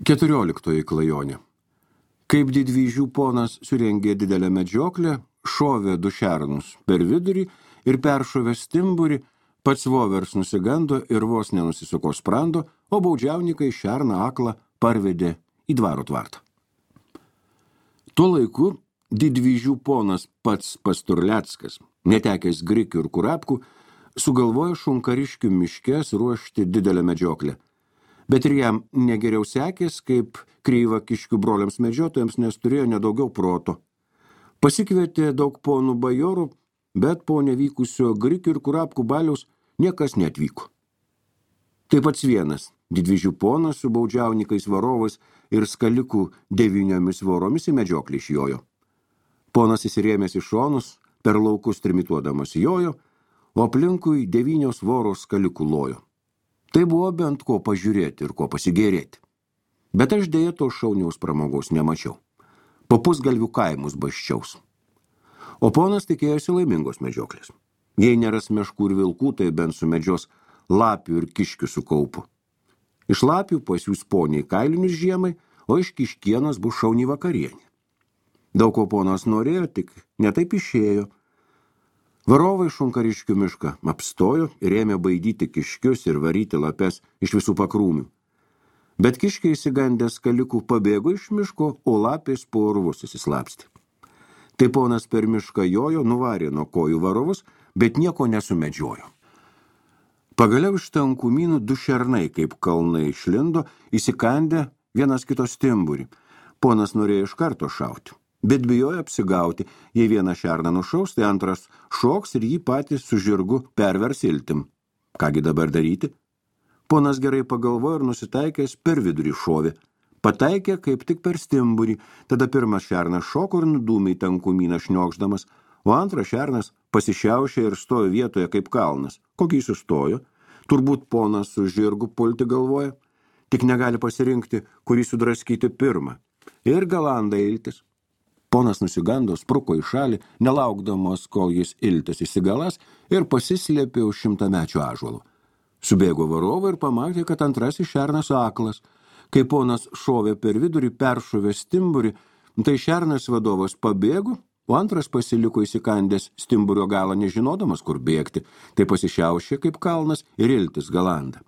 14 klajonė. Kaip didvyžių ponas surengė didelę medžioklę, šovė du šernus per vidurį ir peršovė stimburį, pats vovers nusigando ir vos nenusisuko sprando, o baudžiauninkai šerną aklą parvedė į dvaro tvartą. Tuo laiku didvyžių ponas pats Pasturleckas, netekęs grikių ir kurapkų, sugalvojo šunkariškių miškės ruošti didelę medžioklę. Bet ir jam negeriau sekės, kaip kreivakiškių broliams medžiotojams, nes turėjo nedaugiau proto. Pasikvietė daug ponų bajorų, bet po nevykusio grikių ir kurapkų baliaus niekas neatvyko. Taip pats vienas didvyžių ponas su baudžiaunikais varovais ir skalikų 9 voromis į medžioklį išjojo. Ponas įsirėmęs į šonus, per laukus trimituodamas jojo, o aplinkui 9 voros skalikų lojo. Tai buvo bent ko pažiūrėti ir ko pasigėrėti. Bet aš dėja to šauniaus pramogos nemačiau. Po pusgalvių kaimus baščiaus. O ponas tikėjosi laimingos medžioklės. Jei neras meškų ir vilkų, tai bent sumedžios lapių ir kiškių su kaupu. Iš lapių pasiūs poniai kailinius žiemai, o iš kiškienos bus šauni vakarienė. Daug ko ponas norėjo, tik netaip išėjo. Varovai šunkariškių mišką apstojo ir ėmė baidyti kiškius ir varyti lapes iš visų pakrūmių. Bet kiškiai įsigandęs skalikų pabėgo iš miško, o lapės po urvus įsislapstė. Tai ponas per mišką jojo, nuvarė nuo kojų varovus, bet nieko nesumedžiojo. Pagaliau iš tankumynų 2 šernai, kaip kalnai išlindo, įsikandę vienas kito stimburį. Ponas norėjo iš karto šauti. Bet bijojo apsigauti, jei vieną šerną nušaus, tai antras šoks ir jį patys su žirgu pervers iltim. Kągi dabar daryti? Ponas gerai pagalvojo ir nusitaikęs per vidurį šovė. Pataikė kaip tik per stimburį, tada pirmas šernas šoko ir nudūmė į tankumyną šniokšdamas, o antras šernas pasišiaušė ir stojo vietoje kaip kalnas. Kokį sustojo? Turbūt ponas su žirgu pulti galvoja, tik negali pasirinkti, kurį sudraskyti pirmą. Ir galanda iltis. Ponas nusigando, spruko į šalį, nelaukdamas, kol jis iltis įsigalas ir pasislėpė už 100-mečio ąžuolo. Subėgo varovai ir pamatė, kad antrasis šernas aklas. Kai ponas šovė per vidurį, peršovė stimburį, tai šernas vadovas pabėgo, o antras pasiliko įsikandęs stimburio galą, nežinodamas, kur bėgti, tai pasišiaušė kaip kalnas ir iltis galanda.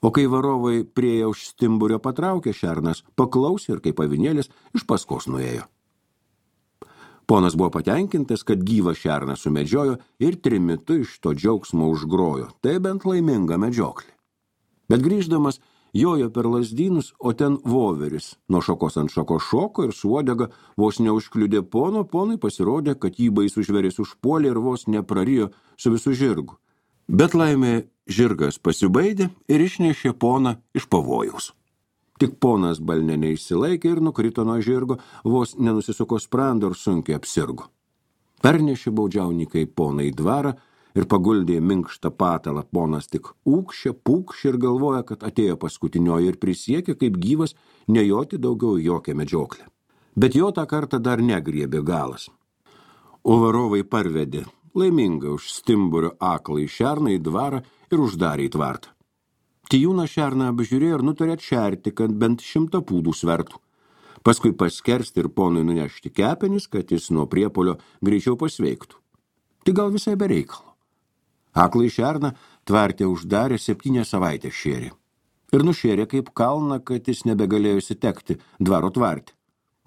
O kai varovai priejo už stimburio patraukė, šernas paklausė ir kaip avinėlis iš paskos nuėjo. Ponas buvo patenkintas, kad gyvą šerną sumedžiojo ir trimitu iš to džiaugsmo užgrojo. Tai bent laiminga medžioklė. Bet grįždamas jojo per lazdynus, o ten voveris nuo šakos ant šakos šoko ir su uodega vos neužkliudė pono, ponui pasirodė, kad jį baisus žvėris užpuolė ir vos neprarijo su visu žirgu. Bet laimė žirgas pasibaidė ir išnešė poną iš pavojaus. Tik ponas balne neišsilaikė ir nukrito nuo žirgo, vos nenusisuko sprando ir sunkiai apsirgo. Pernešė baudžiauninkai poną į dvarą ir paguldė minkštą patalą. Ponas tik pūkšė ir galvoja, kad atėjo paskutinioji ir prisiekė kaip gyvas nejoti daugiau jokią medžioklę. Bet jo tą kartą dar negriebė galas. O varovai parvedė laimingą už stimburio aklą į šerną į dvarą ir uždarė į tvartą. Tijūną šerną apžiūrėjo ir nutarė atšerti, kad bent 100 pūdų svertų. Paskui paskersti ir ponui nunešti kepenis, kad jis nuo priepolio greičiau pasveiktų. Tai gal visai be reikalo. Aklai šerną tvarte uždarė 7 savaitės šėrė. Ir nušėrė kaip kalną, kad jis nebegalėjo įsitekti dvaro tvarte.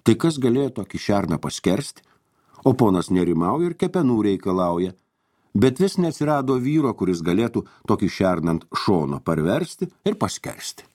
Tai kas galėjo tokį šerną paskersti? O ponas nerimauja ir kepenų reikalauja. Bet vis neatsirado vyro, kuris galėtų tokį šerną ant šono parversti ir paskersti.